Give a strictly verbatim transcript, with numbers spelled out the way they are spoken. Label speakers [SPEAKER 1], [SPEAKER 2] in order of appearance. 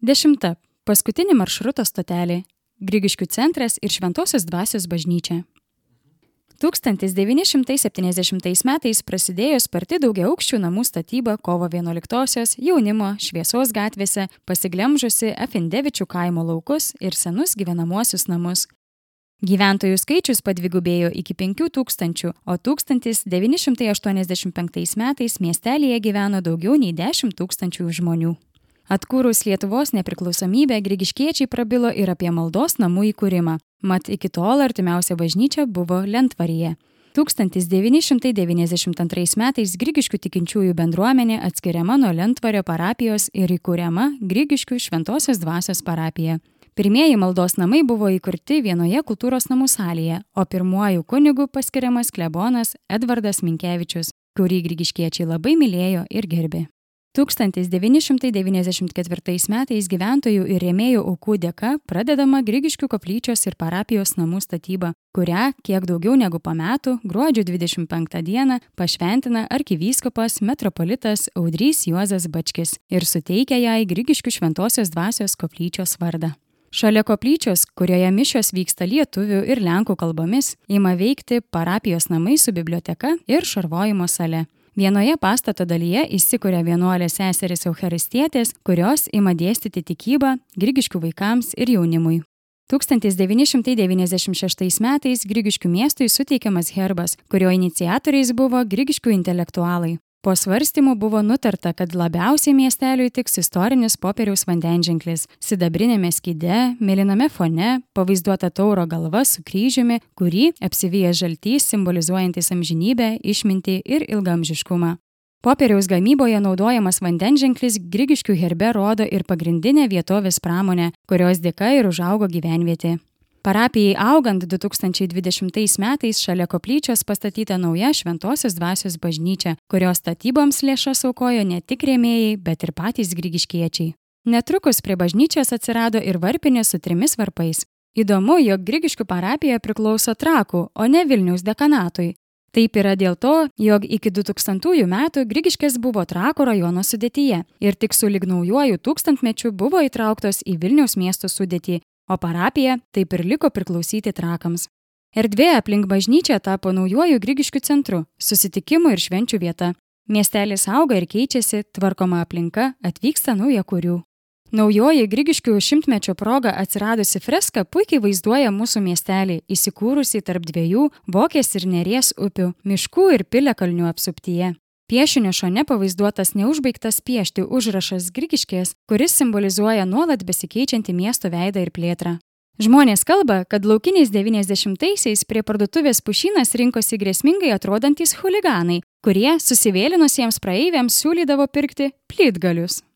[SPEAKER 1] Dešimta. Paskutinė maršruto stotelė – Grigiškių centras ir Šventosios dvasios bažnyčia. tūkstantis devyni šimtai septyniasdešimtais metais prasidėjo sparti daugiaaukščių namų statyba kovo vienuoliktosios jaunimo Šviesos gatvėse, pasiglemžusi Afindevičių kaimo laukus ir senus gyvenamuosius namus. Gyventojų skaičius padvigubėjo iki penkių tūkstančių, o tūkstantis devyni šimtai aštuoniasdešimt penktais metais miestelyje gyveno daugiau nei dešimt tūkstančių žmonių. Atkūrus Lietuvos nepriklausomybę, grigiškiečiai prabilo ir apie maldos namų įkūrimą, mat iki tol artimiausia bažnyčia buvo Lentvaryje. tūkstantis devyni šimtai devyniasdešimt antrais metais Grigiškių tikinčiųjų bendruomenė atskiriama nuo Lentvario parapijos ir įkūriama Grigiškių Šventosios dvasios parapija. Pirmieji maldos namai buvo įkurti vienoje kultūros namų salėje, o pirmuoju kunigu paskiriamas klebonas Edvardas Minkevičius, kurį grigiškiečiai labai mylėjo ir gerbė. tūkstantis devyni šimtai devyniasdešimt ketvirtais metais gyventojų ir rėmėjų aukų dėka pradedama Grigiškių koplyčios ir parapijos namų statyba, kurią kiek daugiau negu po metų, gruodžio dvidešimt penktą dieną, pašventina arkivyskupas metropolitas Audrys Juozas Bačkis ir suteikia jai Grigiškių Šventosios dvasios koplyčios vardą. Šalia koplyčios, kurioje mišios vyksta lietuvių ir lenkų kalbomis, ima veikti parapijos namai su biblioteka ir šarvojimo sale. Vienoje pastato dalyje įsikuria vienuolės seserys eucharistietės, kurios ima dėstyti tikybą Grigiškių vaikams ir jaunimui. tūkstantis devyni šimtai devyniasdešimt šeštais metais Grigiškių miestui suteikiamas herbas, kurio iniciatoriais buvo Grigiškių intelektualai. Po svarstymų buvo nutarta, kad labiausiai miesteliui tiks istorinis popieriaus vandenženklis, sidabrinėme skyde, mėlyname fone, pavaizduota tauro galva su kryžiumi, kurį apsivyja žaltys simbolizuojantis amžinybę, išmintį ir ilgaamžiškumą. Popieriaus gamyboje naudojamas vandenženklis Grigiškių herbe rodo ir pagrindinę vietovės pramonę, kurios dėka ir užaugo gyvenvietė. Parapijai augant du tūkstančiai dvidešimtais metais šalia koplyčios pastatyta nauja Šventosios dvasios bažnyčia, kurios statyboms lėšas aukojo ne tik rėmėjai, bet ir patys grigiškiečiai. Netrukus prie bažnyčios atsirado ir varpinė su trimis varpais. Įdomu, jog Grigiškių parapija priklauso Trakų, o ne Vilniaus dekanatui. Taip yra dėl to, jog iki du tūkstantųjų metų Grigiškės buvo Trakų rajono sudėtyje ir tik sulig naujuoju tūkstantmečiu buvo įtrauktos į Vilniaus miesto sudėtį, o parapija taip ir liko priklausyti Trakams. Erdvė aplink bažnyčią tapo naujuoju Grigiškių centru, susitikimų ir švenčių vieta. Miestelis auga ir keičiasi, tvarkoma aplinka, atvyksta naujakurių. Naujoji Grigiškių šimtmečio proga atsiradusi freska puikiai vaizduoja mūsų miestelį, įsikūrusi tarp dviejų Vokės ir Neries upių, miškų ir piliakalnių apsuptyje. Piešinio šone pavaizduotas neužbaigtas piešti užrašas Grigiškės, kuris simbolizuoja nuolat besikeičiantį miesto veidą ir plėtrą. Žmonės kalba, kad laukiniais devyniasdešimtaisiais prie parduotuvės Pušynas rinkosi grėsmingai atrodantys chuliganai, kurie susivėlinusiems praeiviams siūlydavo pirkti plytgalius.